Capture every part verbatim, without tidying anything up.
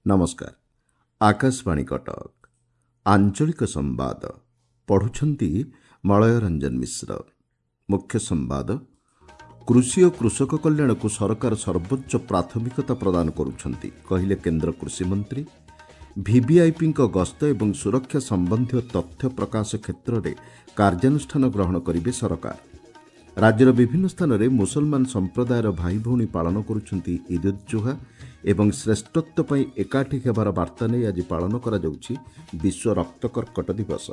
ନମସ୍କାର ଆକାଶବାଣୀ କଟକ ଆଞ୍ଚଳିକ ସମ୍ବାଦ ପଢୁଛନ୍ତି ମଳୟ ରଞ୍ଜନ ମିଶ୍ର ମୁଖ୍ୟ ସମ୍ବାଦ କୃଷି ଓ କୃଷକ କଲ୍ୟାଣକୁ ସରକାର ସର୍ବୋଚ୍ଚ ପ୍ରାଥମିକତା ପ୍ରଦାନ କରୁଛନ୍ତି କହିଲେ କେନ୍ଦ୍ର କୃଷିମନ୍ତ୍ରୀ ଭିଭିଆଇପିଙ୍କ ଗସ୍ତ ଏବଂ ସୁରକ୍ଷା ସମ୍ବନ୍ଧୀୟ ତଥ୍ୟ ପ୍ରକାଶ କ୍ଷେତ୍ରରେ କାର୍ଯ୍ୟାନୁଷ୍ଠାନ ଗ୍ରହଣ କରିବେ ସରକାର ରାଜ୍ୟର ବିଭିନ୍ନ ସ୍ଥାନରେ ମୁସଲମାନ ସମ୍ପ୍ରଦାୟର ଭାଇ ଭଉଣୀ ପାଳନ କରୁଛନ୍ତି ଇଦ୍ ଉଦ୍ ଜୁହା ଏବଂ ଶ୍ରେଷ୍ଠତ୍ୱ ପାଇଁ ଏକାଠି ହେବାର ବାର୍ତ୍ତା ନେଇ ଆଜି ପାଳନ କରାଯାଉଛି ବିଶ୍ୱ ରକ୍ତ କର୍କଟ ଦିବସ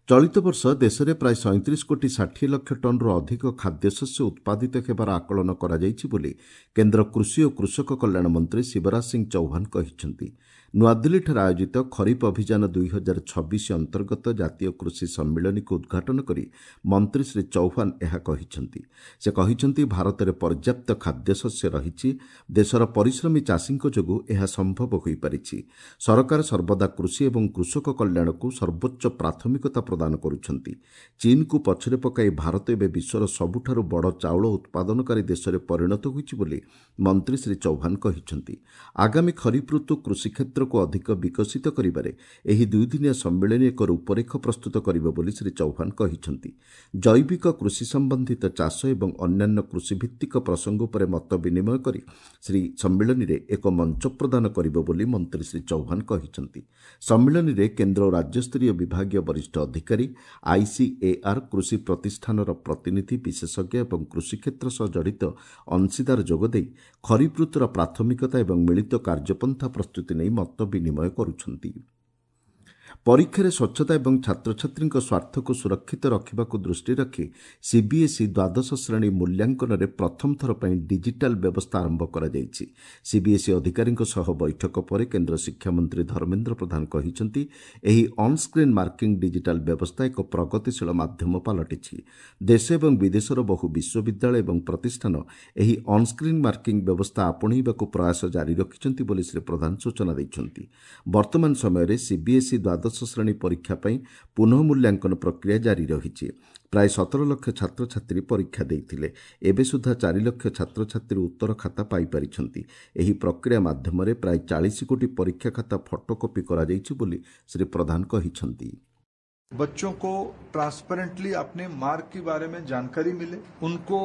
ଚଳିତ ବର୍ଷ ଦେଶରେ ପ୍ରାୟ ସଇଁତିରିଶ କୋଟି ଷାଠିଏ ଲକ୍ଷ ଟନ୍ରୁ ଅଧିକ ଖାଦ୍ୟଶସ୍ୟ ଉତ୍ପାଦିତ ହେବାର ଆକଳନ କରାଯାଇଛି ବୋଲି କେନ୍ଦ୍ର କୃଷି ଓ କୃଷକ କଲ୍ୟାଣ ମନ୍ତ୍ରୀ ଶିବରାଜ ସିଂ ଚୌହାନ କହିଛନ୍ତି ନୂଆଦିଲ୍ଲୀଠାରେ ଆୟୋଜିତ ଖରିଫ ଅଭିଯାନ ଦୁଇ ହଜାର ଛବିଶ ଅନ୍ତର୍ଗତ ଜାତୀୟ କୃଷି ସମ୍ମିଳନୀକୁ ଉଦ୍ଘାଟନ କରି ମନ୍ତ୍ରୀ ଶ୍ରୀ ଚୌହାନ ଏହା କହିଛନ୍ତି ସେ କହିଛନ୍ତି ଭାରତରେ ପର୍ଯ୍ୟାପ୍ତ ଖାଦ୍ୟଶସ୍ୟ ରହିଛି ଦେଶର ପରିଶ୍ରମୀ ଚାଷୀଙ୍କ ଯୋଗୁଁ ଏହା ସମ୍ଭବ ହୋଇପାରିଛି ସରକାର ସର୍ବଦା କୃଷି ଏବଂ କୃଷକ କଲ୍ୟାଣକୁ ସର୍ବୋଚ୍ଚ ପ୍ରାଥମିକତା ପ୍ରଦାନ କରୁଛନ୍ତି ଚୀନକୁ ପଛରେ ପକାଇ ଭାରତ ଏବେ ବିଶ୍ୱର ସବୁଠାରୁ ବଡ଼ ଚାଉଳ ଉତ୍ପାଦନକାରୀ ଦେଶରେ ପରିଣତ ହୋଇଛି ବୋଲି ମନ୍ତ୍ରୀ ଶ୍ରୀ ଚୌହାନ କହିଛନ୍ତି ଆଗାମୀ ଖରିଫ ଋତୁ କୃଷି କ୍ଷେତ୍ରକୁ ଅଧିକ ବିକଶିତ କରିବାରେ ଏହି ଦୁଇଦିନିଆ ସମ୍ମିଳନୀ ଏକ ରୂପରେଖ ପ୍ରସ୍ତୁତ କରିବ ବୋଲି ଶ୍ରୀ ଚୌହାନ କହିଛନ୍ତି ଜୈବିକ କୃଷି ସମ୍ବନ୍ଧିତ ଚାଷ ଏବଂ ଅନ୍ୟାନ୍ୟ କୃଷିଭିତ୍ତିକ ପ୍ରସଙ୍ଗ ଉପରେ ମତ ବିନିମୟ କରି ଶ୍ରୀ ସମ୍ମିଳନୀରେ ଏକ ମଞ୍ଚ ପ୍ରଦାନ କରିବ ବୋଲି ମନ୍ତ୍ରୀ ଶ୍ରୀ ଚୌହାନ କହିଛନ୍ତି ସମ୍ମିଳନୀରେ କେନ୍ଦ୍ର ଓ ରାଜ୍ୟସ୍ତରୀୟ ବିଭାଗୀୟ ବରିଷ୍ଠ ଅଧିକାରୀ ଆଇସିଏଆର୍ କୃଷି ପ୍ରତିଷ୍ଠାନର ପ୍ରତିନିଧି ବିଶେଷଜ୍ଞ ଏବଂ କୃଷି କ୍ଷେତ୍ର ସହ ଜଡ଼ିତ ଅଂଶୀଦାର ଯୋଗଦେଇ ଖରିଫ ଋତୁର ପ୍ରାଥମିକତା ଏବଂ ମିଳିତ କାର୍ଯ୍ୟପନ୍ଥା ପ୍ରସ୍ତୁତି ନେଇ ମତ ବିନିମୟ କରୁଛନ୍ତି ପରୀକ୍ଷାରେ ସ୍ୱଚ୍ଛତା ଏବଂ ଛାତ୍ରଛାତ୍ରୀଙ୍କ ସ୍ୱାର୍ଥକୁ ସୁରକ୍ଷିତ ରଖିବାକୁ ଦୃଷ୍ଟି ରଖି ସିବିଏସ୍ଇ ଦ୍ୱାଦଶ ଶ୍ରେଣୀ ମୂଲ୍ୟାଙ୍କନରେ ପ୍ରଥମ ଥର ପାଇଁ ଡିଜିଟାଲ ବ୍ୟବସ୍ଥା ଆରମ୍ଭ କରାଯାଇଛି ସିବିଏସ୍ଇ ଅଧିକାରୀଙ୍କ ସହ ବୈଠକ ପରେ କେନ୍ଦ୍ର ଶିକ୍ଷାମନ୍ତ୍ରୀ ଧର୍ମେନ୍ଦ୍ର ପ୍ରଧାନ କହିଛନ୍ତି ଏହି ଅନ୍ସ୍କ୍ରିନ୍ ମାର୍କିଂ ଡିଜିଟାଲ ବ୍ୟବସ୍ଥା ଏକ ପ୍ରଗତିଶୀଳ ମାଧ୍ୟମ ପାଲଟିଛି ଦେଶ ଏବଂ ବିଦେଶର ବହୁ ବିଶ୍ୱବିଦ୍ୟାଳୟ ଏବଂ ପ୍ରତିଷ୍ଠାନ ଏହି ଅନ୍ସ୍କ୍ରିନ୍ ମାର୍କିଂ ବ୍ୟବସ୍ଥା ଆପଣେଇବାକୁ ପ୍ରୟାସ ଜାରି ରଖିଛନ୍ତି ବୋଲି ଶ୍ରୀ ପ୍ରଧାନ ସୂଚନା ଦେଇଛନ୍ତି ବର୍ତ୍ତମାନ ସମୟରେ ସିବିଏସ୍ଇ ଦ୍ୱାଦଶ ଶ୍ରେଣୀ ପରୀକ୍ଷା ପାଇଁ ପୁନଃ ମୂଲ୍ୟାଙ୍କନ ପ୍ରକ୍ରିୟା ଜାରି ରହିଛି ପ୍ରାୟ ସତର ଲକ୍ଷ ଛାତ୍ରଛାତ୍ରୀ ପରୀକ୍ଷା ଦେଇଥିଲେ ଏବେ ସୁଦ୍ଧା ଚାରି ଲକ୍ଷ ଛାତ୍ରଛାତ୍ରୀ ଉତ୍ତର ଖାତା ପାଇପାରିଛନ୍ତି ଏହି ପ୍ରକ୍ରିୟା ମାଧ୍ୟମରେ ପ୍ରାୟ ଚାଳିଶ କୋଟି ପରୀକ୍ଷା ଖାତା ଫଟୋକପି କରାଯାଇଛି ବୋଲି ଶ୍ରୀ ପ୍ରଧାନ କହିଛନ୍ତି बच्चों को ट्रांसपेरेंटली अपने मार्क के बारे में जानकारी मिले उनको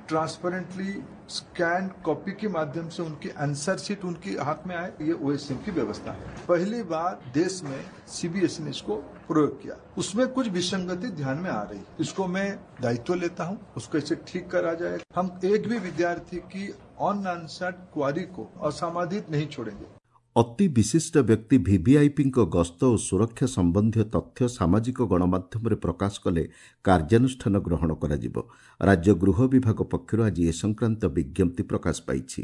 ट्रांसपेरेंटली स्कैन कॉपी के माध्यम से उनकी आंसर शीट उनके हाथ में आए ये ओएसएम की व्यवस्था है पहली बार देश में सीबीएसई ने इसको प्रयोग किया उसमें कुछ विसंगति ध्यान में आ रही इसको मैं दायित्व लेता हूं उसको ऐसे ठीक करा जाए हम एक भी विद्यार्थी की अनआंसर्ड क्वारी को असमाधित नहीं छोड़ेंगे ଅତି ବିଶିଷ୍ଟ ବ୍ୟକ୍ତି ଭିଭିଆଇପିଙ୍କ ଗସ୍ତ ଓ ସୁରକ୍ଷା ସମ୍ବନ୍ଧୀୟ ତଥ୍ୟ ସାମାଜିକ ଗଣମାଧ୍ୟମରେ ପ୍ରକାଶ କଲେ କାର୍ଯ୍ୟାନୁଷ୍ଠାନ ଗ୍ରହଣ କରାଯିବ ରାଜ୍ୟ ଗୃହ ବିଭାଗ ପକ୍ଷରୁ ଆଜି ଏ ସଂକ୍ରାନ୍ତ ବିଜ୍ଞପ୍ତି ପ୍ରକାଶ ପାଇଛି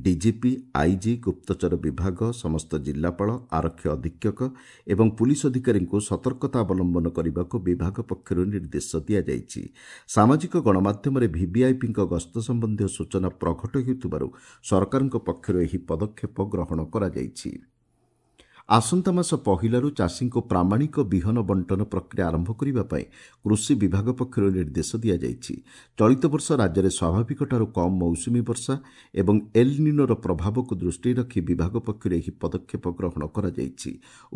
ଡିଜିପି ଆଇଜି ଗୁପ୍ତଚର ବିଭାଗ ସମସ୍ତ ଜିଲ୍ଲାପାଳ ଆରକ୍ଷୀ ଅଧୀକ୍ଷକ ଏବଂ ପୁଲିସ ଅଧିକାରୀଙ୍କୁ ସତର୍କତା ଅବଲମ୍ବନ କରିବାକୁ ବିଭାଗ ପକ୍ଷରୁ ନିର୍ଦ୍ଦେଶ ଦିଆଯାଇଛି ସାମାଜିକ ଗଣମାଧ୍ୟମରେ ଭିଭିଆଇପିଙ୍କ ଗସ୍ତ ସମ୍ବନ୍ଧୀୟ ସୂଚନା ପ୍ରଘଟ ହେଉଥିବାରୁ ସରକାରଙ୍କ ପକ୍ଷରୁ ଏହି ପଦକ୍ଷେପ ଗ୍ରହଣ କରାଯାଇଛି ଆସନ୍ତା ମାସ ପହିଲାରୁ ଚାଷୀଙ୍କୁ ପ୍ରାମାଣିକ ବିହନ ବଣ୍ଟନ ପ୍ରକ୍ରିୟା ଆରମ୍ଭ କରିବା ପାଇଁ କୃଷି ବିଭାଗ ପକ୍ଷରୁ ନିର୍ଦ୍ଦେଶ ଦିଆଯାଇଛି ଚଳିତ ବର୍ଷ ରାଜ୍ୟରେ ସ୍ୱାଭାବିକଠାରୁ କମ୍ ମୌସୁମୀ ବର୍ଷା ଏବଂ ଏଲ୍ ନିନୋର ପ୍ରଭାବକୁ ଦୃଷ୍ଟିରେ ରଖି ବିଭାଗ ପକ୍ଷରୁ ଏହି ପଦକ୍ଷେପ ଗ୍ରହଣ କରାଯାଇଛି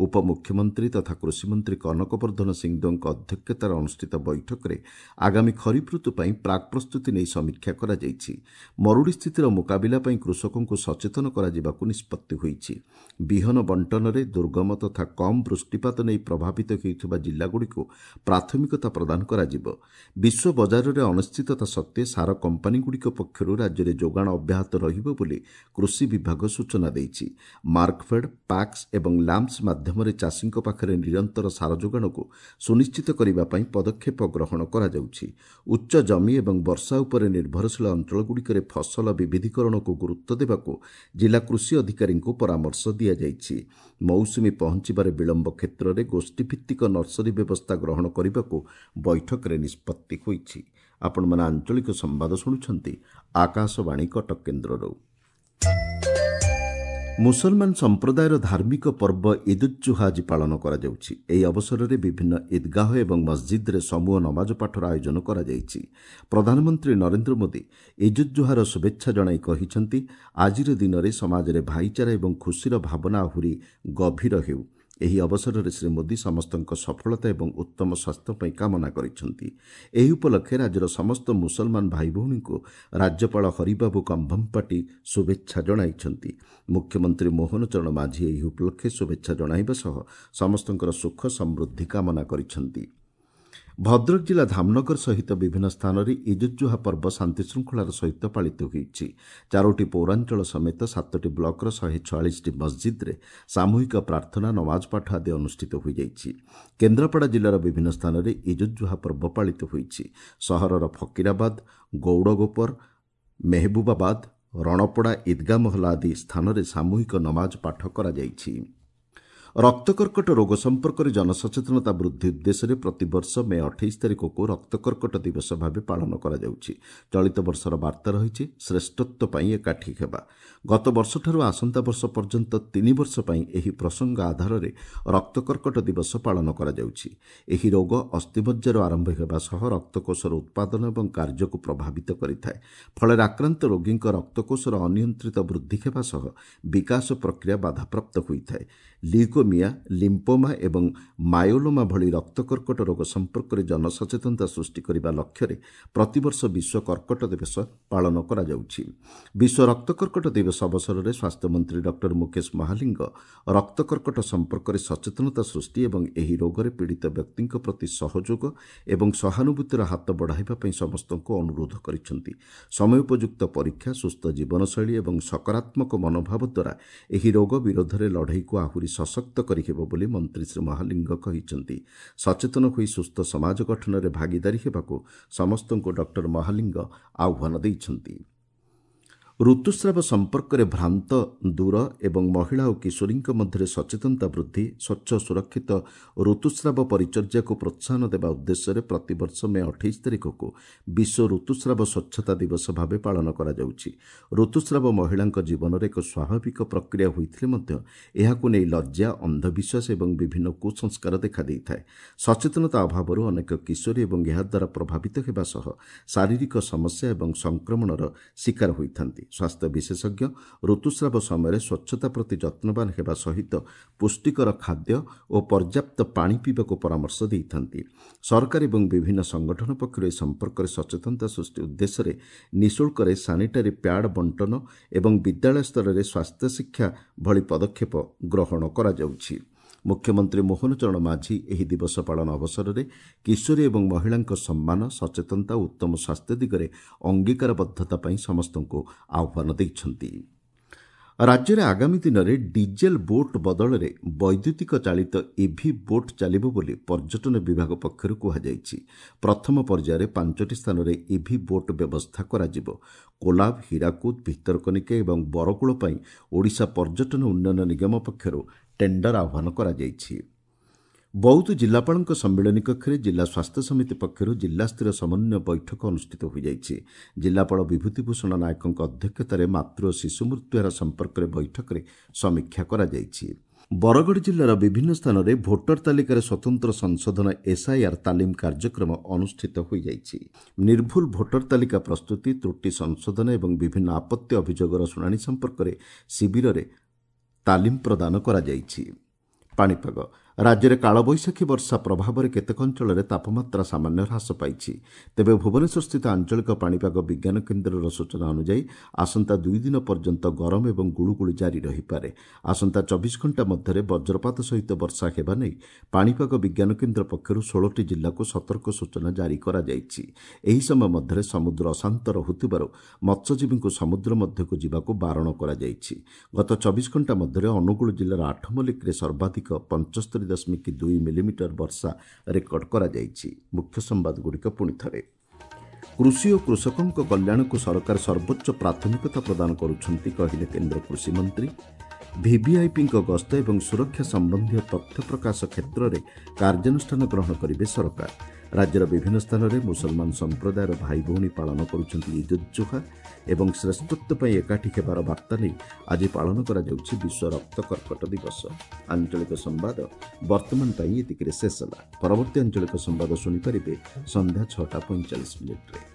ଉପମୁଖ୍ୟମନ୍ତ୍ରୀ ତଥା କୃଷିମନ୍ତ୍ରୀ କନକ ବର୍ଦ୍ଧନ ସିଂଦେଓଙ୍କ ଅଧ୍ୟକ୍ଷତାରେ ଅନୁଷ୍ଠିତ ବୈଠକରେ ଆଗାମୀ ଖରିଫ ଋତୁ ପାଇଁ ପ୍ରାକ୍ ପ୍ରସ୍ତୁତି ନେଇ ସମୀକ୍ଷା କରାଯାଇଛି ମରୁଡ଼ି ସ୍ଥିତିର ମୁକାବିଲା ପାଇଁ କୃଷକଙ୍କୁ ସଚେତନ କରାଯିବାକୁ ନିଷ୍ପତ୍ତି ହୋଇଛି ବିହନ ବଣ୍ଟନରେ ଦୁର୍ଗମ ତଥା କମ୍ ବୃଷ୍ଟିପାତ ନେଇ ପ୍ରଭାବିତ ହେଉଥିବା ଜିଲ୍ଲାଗୁଡ଼ିକୁ ପ୍ରାଥମିକତା ପ୍ରଦାନ କରାଯିବ ବିଶ୍ୱ ବଜାରରେ ଅନିଶ୍ଚିତତା ସତ୍ତ୍ୱେ ସାର କମ୍ପାନୀଗୁଡ଼ିକ ପକ୍ଷରୁ ରାଜ୍ୟରେ ଯୋଗାଣ ଅବ୍ୟାହତ ରହିବ ବୋଲି କୃଷି ବିଭାଗ ସୂଚନା ଦେଇଛି ମାର୍କଫେଡ୍ ପାକ୍ସ ଏବଂ ଲ୍ୟାମ୍ପସ ମାଧ୍ୟମରେ ଚାଷୀଙ୍କ ପାଖରେ ନିରନ୍ତର ସାର ଯୋଗାଣକୁ ସୁନିଶ୍ଚିତ କରିବା ପାଇଁ ପଦକ୍ଷେପ ଗ୍ରହଣ କରାଯାଉଛି ଉଚ୍ଚ ଜମି ଏବଂ ବର୍ଷା ଉପରେ ନିର୍ଭରଶୀଳ ଅଞ୍ଚଳଗୁଡ଼ିକରେ ଫସଲ ବିବିଧୀକରଣକୁ ଗୁରୁତ୍ୱ ଦେବାକୁ ଜିଲ୍ଲା କୃଷି ଅଧିକାରୀଙ୍କୁ ପରାମର୍ଶ ଦିଆଯାଇଛି ମୌସୁମୀ ପହଞ୍ଚିବାରେ ବିଳମ୍ବ କ୍ଷେତ୍ରରେ ଗୋଷ୍ଠୀଭିତ୍ତିକ ନର୍ସରୀ ବ୍ୟବସ୍ଥା ଗ୍ରହଣ କରିବାକୁ ବୈଠକରେ ନିଷ୍ପତ୍ତି ହୋଇଛି ଆପଣମାନେ ଆଞ୍ଚଳିକ ସମ୍ବାଦ ଶୁଣୁଛନ୍ତି ଆକାଶବାଣୀ କଟକ କେନ୍ଦ୍ରରୁ। ମୁସଲମାନ ସମ୍ପ୍ରଦାୟର ଧାର୍ମିକ ପର୍ବ ଇଦ୍ ଉଜ୍ ଜୁହା ଆଜି ପାଳନ କରାଯାଉଛି। ଏହି ଅବସରରେ ବିଭିନ୍ନ ଇଦ୍ଗାହ ଏବଂ ମସଜିଦ୍ରେ ସମୂହ ନମାଜ ପାଠର ଆୟୋଜନ କରାଯାଇଛି। ପ୍ରଧାନମନ୍ତ୍ରୀ ନରେନ୍ଦ୍ର ମୋଦି ଇଦ୍ ଉଜ୍ ଜୁହାର ଶୁଭେଚ୍ଛା ଜଣାଇ କହିଛନ୍ତି, ଆଜିର ଦିନରେ ସମାଜରେ ଭାଇଚାରା ଏବଂ ଖୁସିର ଭାବନା ଆହୁରି ଗଭୀର ହେଉ। ଏହି ଅବସରରେ ଶ୍ରୀ ମୋଦି ସମସ୍ତଙ୍କ ସଫଳତା ଏବଂ ଉତ୍ତମ ସ୍ୱାସ୍ଥ୍ୟ ପାଇଁ କାମନା କରିଛନ୍ତି। ଏହି ଉପଲକ୍ଷେ ରାଜ୍ୟର ସମସ୍ତ ମୁସଲମାନ ଭାଇଭଉଣୀଙ୍କୁ ରାଜ୍ୟପାଳ ହରିବାବୁ କମ୍ଭମପାଟି ଶୁଭେଚ୍ଛା ଜଣାଇଛନ୍ତି। ମୁଖ୍ୟମନ୍ତ୍ରୀ ମୋହନ ଚରଣ ମାଝୀ ଏହି ଉପଲକ୍ଷେ ଶୁଭେଚ୍ଛା ଜଣାଇବା ସହ ସମସ୍ତଙ୍କର ସୁଖ ସମୃଦ୍ଧି କାମନା କରିଛନ୍ତି। ଭଦ୍ରକ ଜିଲ୍ଲା ଧାମନଗର ସହିତ ବିଭିନ୍ନ ସ୍ଥାନରେ ଇଦ୍ ଉଜ୍ ଜୁହା ପର୍ବ ଶାନ୍ତିଶୃଙ୍ଖଳାର ସହିତ ପାଳିତ ହୋଇଛି। ଚାରୋଟି ପୌରାଞ୍ଚଳ ସମେତ ସାତଟି ବ୍ଲକର ଶହେ ଛୟାଳିଶଟି ମସଜିଦ୍ରେ ସାମୂହିକ ପ୍ରାର୍ଥନା, ନମାଜ ପାଠ ଆଦି ଅନୁଷ୍ଠିତ ହୋଇଯାଇଛି। କେନ୍ଦ୍ରାପଡ଼ା ଜିଲ୍ଲାର ବିଭିନ୍ନ ସ୍ଥାନରେ ଇଦ୍ ଉଜ୍ ଜୁହା ପର୍ବ ପାଳିତ ହୋଇଛି। ସହରର ଫକୀରାବାଦ, ଗୌଡ଼ଗୋପର, ମେହବୁବାବାଦ, ରଣପଡ଼ା, ଇଦ୍ଗା ମହଲା ଆଦି ସ୍ଥାନରେ ସାମୂହିକ ନମାଜ ପାଠ କରାଯାଇଛି। ରକ୍ତକର୍କଟ ରୋଗ ସମ୍ପର୍କରେ ଜନସଚେତନତା ବୃଦ୍ଧି ଉଦ୍ଦେଶ୍ୟରେ ପ୍ରତିବର୍ଷ ମେ ଅଠେଇଶ ତାରିଖକୁ ରକ୍ତକର୍କଟ ଦିବସ ଭାବେ ପାଳନ କରାଯାଉଛି। ଚଳିତ ବର୍ଷର ବାର୍ତ୍ତା ରହିଛି ଶ୍ରେଷ୍ଠତ୍ୱ ପାଇଁ ଏକାଠି ହେବା। ଗତ ବର୍ଷଠାରୁ ଆସନ୍ତା ବର୍ଷ ପର୍ଯ୍ୟନ୍ତ ତିନି ବର୍ଷ ପାଇଁ ଏହି ପ୍ରସଙ୍ଗ ଆଧାରରେ ରକ୍ତକର୍କଟ ଦିବସ ପାଳନ କରାଯାଉଛି। ଏହି ରୋଗ ଅସ୍ଥିମଜ୍ଜାରୁ ଆରମ୍ଭ ହେବା ସହ ରକ୍ତକୋଷର ଉତ୍ପାଦନ ଏବଂ କାର୍ଯ୍ୟକୁ ପ୍ରଭାବିତ କରିଥାଏ। ଫଳରେ ଆକ୍ରାନ୍ତ ରୋଗୀଙ୍କ ରକ୍ତକୋଷର ଅନିୟନ୍ତ୍ରିତ ବୃଦ୍ଧି ହେବା ସହ ବିକାଶ ପ୍ରକ୍ରିୟା ବାଧାପ୍ରାପ୍ତ ହୋଇଥାଏ। ଲ୍ୟୁକୋମିଆ, ଲିମ୍ପୋମା ଏବଂ ମାୟୋଲୋମା ଭଳି ରକ୍ତକର୍କଟ ରୋଗ ସମ୍ପର୍କରେ ଜନସଚେତନତା ସୃଷ୍ଟି କରିବା ଲକ୍ଷ୍ୟରେ ପ୍ରତିବର୍ଷ ବିଶ୍ୱ କର୍କଟ ଦିବସ ପାଳନ କରାଯାଉଛି। ବିଶ୍ୱ ରକ୍ତକର୍କଟ ଦିବସ ଅବସରରେ ସ୍ୱାସ୍ଥ୍ୟମନ୍ତ୍ରୀ ଡକ୍ଟର ମୁକେଶ ମହାଲିଙ୍ଗ ରକ୍ତକର୍କଟ ସମ୍ପର୍କରେ ସଚେତନତା ସୃଷ୍ଟି ଏବଂ ଏହି ରୋଗରେ ପୀଡ଼ିତ ବ୍ୟକ୍ତିଙ୍କ ପ୍ରତି ସହଯୋଗ ଏବଂ ସହାନୁଭୂତିର ହାତ ବଢ଼ାଇବା ପାଇଁ ସମସ୍ତଙ୍କୁ ଅନୁରୋଧ କରିଛନ୍ତି। ସମୟୋପଯୁକ୍ତ ପରୀକ୍ଷା, ସୁସ୍ଥ ଜୀବନଶୈଳୀ ଏବଂ ସକାରାତ୍ମକ ମନୋଭାବ ଦ୍ୱାରା ଏହି ରୋଗ ବିରୋଧରେ ଲଢ଼େଇକୁ ଆହୁରି ସଶକ୍ତ କରିହେବ ବୋଲି ମନ୍ତ୍ରୀ ଶ୍ରୀ ମହାଲିଙ୍ଗ କହିଛନ୍ତି। ସଚେତନ ହୋଇ ସୁସ୍ଥ ସମାଜ ଗଠନରେ ଭାଗିଦାରୀ ହେବାକୁ ସମସ୍ତଙ୍କୁ ଡକ୍ଟର ମହାଲିଙ୍ଗ ଆହ୍ୱାନ ଦେଇଛନ୍ତି। ଋତୁସ୍ରାବ ସମ୍ପର୍କରେ ଭ୍ରାନ୍ତ ଦୂର ଏବଂ ମହିଳା ଓ କିଶୋରୀଙ୍କ ମଧ୍ୟରେ ସଚେତନତା ବୃଦ୍ଧି, ସ୍ୱଚ୍ଛ ସୁରକ୍ଷିତ ଋତୁସ୍ରାବ ପରିଚର୍ଯାକୁ ପ୍ରୋତ୍ସାହନ ଦେବା ଉଦ୍ଦେଶ୍ୟରେ ପ୍ରତିବର୍ଷ ମେ ଅଠେଇଶ ତାରିଖକୁ ବିଶ୍ୱ ଋତୁସ୍ରାବ ସ୍ୱଚ୍ଛତା ଦିବସ ଭାବେ ପାଳନ କରାଯାଉଛି। ଋତୁସ୍ରାବ ମହିଳାଙ୍କ ଜୀବନରେ ଏକ ସ୍ୱାଭାବିକ ପ୍ରକ୍ରିୟା ହୋଇଥିଲେ ମଧ୍ୟ ଏହାକୁ ନେଇ ଲଜ୍ଜା, ଅନ୍ଧବିଶ୍ୱାସ ଏବଂ ବିଭିନ୍ନ କୁସଂସ୍କାର ଦେଖାଦେଇଥାଏ। ସଚେତନତା ଅଭାବରୁ ଅନେକ କିଶୋରୀ ଏବଂ ଏହାଦ୍ୱାରା ପ୍ରଭାବିତ ହେବା ସହ ଶାରୀରିକ ସମସ୍ୟା ଏବଂ ସଂକ୍ରମଣର ଶିକାର ହୋଇଥାନ୍ତି। ସ୍ୱାସ୍ଥ୍ୟ ବିଶେଷଜ୍ଞ ଋତୁସ୍ରାବ ସମୟରେ ସ୍ୱଚ୍ଛତା ପ୍ରତି ଯତ୍ନବାନ ହେବା ସହିତ ପୁଷ୍ଟିକର ଖାଦ୍ୟ ଓ ପର୍ଯ୍ୟାପ୍ତ ପାଣି ପିଇବାକୁ ପରାମର୍ଶ ଦେଇଥାନ୍ତି। ସରକାର ଏବଂ ବିଭିନ୍ନ ସଂଗଠନ ପକ୍ଷରୁ ଏ ସମ୍ପର୍କରେ ସଚେତନତା ସୃଷ୍ଟି ଉଦ୍ଦେଶ୍ୟରେ ନିଃଶୁଳ୍କରେ ସାନିଟାରୀ ପ୍ୟାଡ୍ ବଣ୍ଟନ ଏବଂ ବିଦ୍ୟାଳୟ ସ୍ତରରେ ସ୍ୱାସ୍ଥ୍ୟ ଶିକ୍ଷା ଭଳି ପଦକ୍ଷେପ ଗ୍ରହଣ କରାଯାଉଛି। ମୁଖ୍ୟମନ୍ତ୍ରୀ ମୋହନ ଚରଣ ମାଝୀ ଏହି ଦିବସ ପାଳନ ଅବସରରେ କିଶୋରୀ ଏବଂ ମହିଳାଙ୍କ ସମ୍ମାନ, ସଚେତନତା ଓ ଉତ୍ତମ ସ୍ୱାସ୍ଥ୍ୟ ଦିଗରେ ଅଙ୍ଗୀକାରବଦ୍ଧତା ପାଇଁ ସମସ୍ତଙ୍କୁ ଆହ୍ୱାନ ଦେଇଛନ୍ତି। ରାଜ୍ୟରେ ଆଗାମୀ ଦିନରେ ଡିଜେଲ ବୋଟ୍ ବଦଳରେ ବୈଦ୍ୟୁତିକ ଚାଳିତ ଇଭି ବୋଟ୍ ଚାଲିବ ବୋଲି ପର୍ଯ୍ୟଟନ ବିଭାଗ ପକ୍ଷରୁ କୁହାଯାଇଛି। ପ୍ରଥମ ପର୍ଯ୍ୟାୟରେ ପାଞ୍ଚଟି ସ୍ଥାନରେ ଇଭି ବୋଟ୍ ବ୍ୟବସ୍ଥା କରାଯିବ। କୋଲାବ, ହୀରାକୁଦ, ଭିତରକନିକା ଏବଂ ବରକୂଳ ପାଇଁ ଓଡ଼ିଶା ପର୍ଯ୍ୟଟନ ଉନ୍ନୟନ ନିଗମ ପକ୍ଷରୁ ଟେଣ୍ଡର ଆହ୍ୱାନ କରାଯାଇଛି। ବୌଦ୍ଧ ଜିଲ୍ଲାପାଳଙ୍କ ସମ୍ମିଳନୀ କକ୍ଷରେ ଜିଲ୍ଲା ସ୍ୱାସ୍ଥ୍ୟ ସମିତି ପକ୍ଷରୁ ଜିଲ୍ଲାସ୍ତରୀୟ ସମନ୍ୱୟ ବୈଠକ ଅନୁଷ୍ଠିତ ହୋଇଯାଇଛି। ଜିଲ୍ଲାପାଳ ବିଭୂତିଭୂଷଣ ନାୟକଙ୍କ ଅଧ୍ୟକ୍ଷତାରେ ମାତୃ ଓ ଶିଶୁ ମୃତ୍ୟୁହାର ସମ୍ପର୍କରେ ବୈଠକରେ ସମୀକ୍ଷା କରାଯାଇଛି। ବରଗଡ଼ ଜିଲ୍ଲାର ବିଭିନ୍ନ ସ୍ଥାନରେ ଭୋଟର ତାଲିକାରେ ସ୍ୱତନ୍ତ୍ର ସଂଶୋଧନ ଏସ୍ଆଇଆର୍ ତାଲିମ କାର୍ଯ୍ୟକ୍ରମ ଅନୁଷ୍ଠିତ ହୋଇଯାଇଛି। ନିର୍ଭୁଲ ଭୋଟର ତାଲିକା ପ୍ରସ୍ତୁତି, ତ୍ରୁଟି ସଂଶୋଧନ ଏବଂ ବିଭିନ୍ନ ଆପତ୍ତି ଅଭିଯୋଗର ଶୁଣାଣି ସମ୍ପର୍କରେ ଶିବିରରେ ତାଲିମ ପ୍ରଦାନ କରାଯାଇଛି। ପାଣିପାଗ ରାଜ୍ୟରେ କାଳବୈଶାଖୀ ବର୍ଷା ପ୍ରଭାବରେ କେତେକ ଅଞ୍ଚଳରେ ତାପମାତ୍ରା ସାମାନ୍ୟ ହ୍ରାସ ପାଇଛି। ତେବେ ଭୁବନେଶ୍ୱରସ୍ଥିତ ଆଞ୍ଚଳିକ ପାଣିପାଗ ବିଜ୍ଞାନ କେନ୍ଦ୍ରର ସୂଚନା ଅନୁଯାୟୀ ଆସନ୍ତା ଦୁଇ ଦିନ ପର୍ଯ୍ୟନ୍ତ ଗରମ ଏବଂ ଗୁଳୁଗୁଳି ଜାରି ରହିପାରେ। ଆସନ୍ତା ଚବିଶ ଘଣ୍ଟା ମଧ୍ୟରେ ବଜ୍ରପାତ ସହିତ ବର୍ଷା ହେବା ନେଇ ପାଣିପାଗ ବିଜ୍ଞାନ କେନ୍ଦ୍ର ପକ୍ଷରୁ ଷୋହଳଟି ଜିଲ୍ଲାକୁ ସତର୍କ ସୂଚନା ଜାରି କରାଯାଇଛି। ଏହି ସମୟ ମଧ୍ୟରେ ସମୁଦ୍ର ଅଶାନ୍ତ ରହୁଥିବାରୁ ମତ୍ସ୍ୟଜୀବୀଙ୍କୁ ସମୁଦ୍ର ମଧ୍ୟକୁ ଯିବାକୁ ବାରଣ କରାଯାଇଛି। ଗତ ଚବିଶ ଘଣ୍ଟା ମଧ୍ୟରେ ଅନୁଗୁଳ ଜିଲ୍ଲାର ଆଠମଲ୍ଲିକରେ ସର୍ବାଧିକ ପଞ୍ଚସ୍ତରୀ ଦଶମିକ ଦୁଇ ମିଲିମିଟର ବର୍ଷା ରେକର୍ଡ କରାଯାଇଛି। ମୁଖ୍ୟ ସମ୍ବାଦଗୁଡ଼ିକ ପୁଣି ଥରେ। କୃଷି ଓ କୃଷକଙ୍କ କଲ୍ୟାଣକୁ ସରକାର ସର୍ବୋଚ୍ଚ ପ୍ରାଥମିକତା ପ୍ରଦାନ କରୁଛନ୍ତି, କହିଲେ କେନ୍ଦ୍ର କୃଷିମନ୍ତ୍ରୀ। ଭିଭିଆଇପିଙ୍କ ଗସ୍ତ ଏବଂ ସୁରକ୍ଷା ସମ୍ବନ୍ଧୀୟ ତଥ୍ୟ ପ୍ରକାଶ କ୍ଷେତ୍ରରେ କାର୍ଯ୍ୟାନୁଷ୍ଠାନ ଗ୍ରହଣ କରିବେ ସରକାର। ରାଜ୍ୟର ବିଭିନ୍ନ ସ୍ଥାନରେ ମୁସଲମାନ ସମ୍ପ୍ରଦାୟର ଭାଇ ଭଉଣୀ ପାଳନ କରୁଛନ୍ତି ଇଦ୍ ଉଦ୍ ଜୁହା ଏବଂ ଶ୍ରେଷ୍ଠତ୍ୱ ପାଇଁ ଏକାଠି ହେବାର ବାର୍ତ୍ତା ନେଇ ଆଜି ପାଳନ କରାଯାଉଛି ବିଶ୍ୱ ରକ୍ତ କର୍କଟ ଦିବସ। ଆଞ୍ଚଳିକ ସମ୍ବାଦ ବର୍ତ୍ତମାନ ପାଇଁ ଏତିକିରେ ଶେଷ ହେଲା। ପରବର୍ତ୍ତୀ ଆଞ୍ଚଳିକ ସମ୍ବାଦ ଶୁଣିପାରିବେ ସନ୍ଧ୍ୟା ଛଅଟା ପଇଁଚାଳିଶ ମିନିଟ୍ରେ।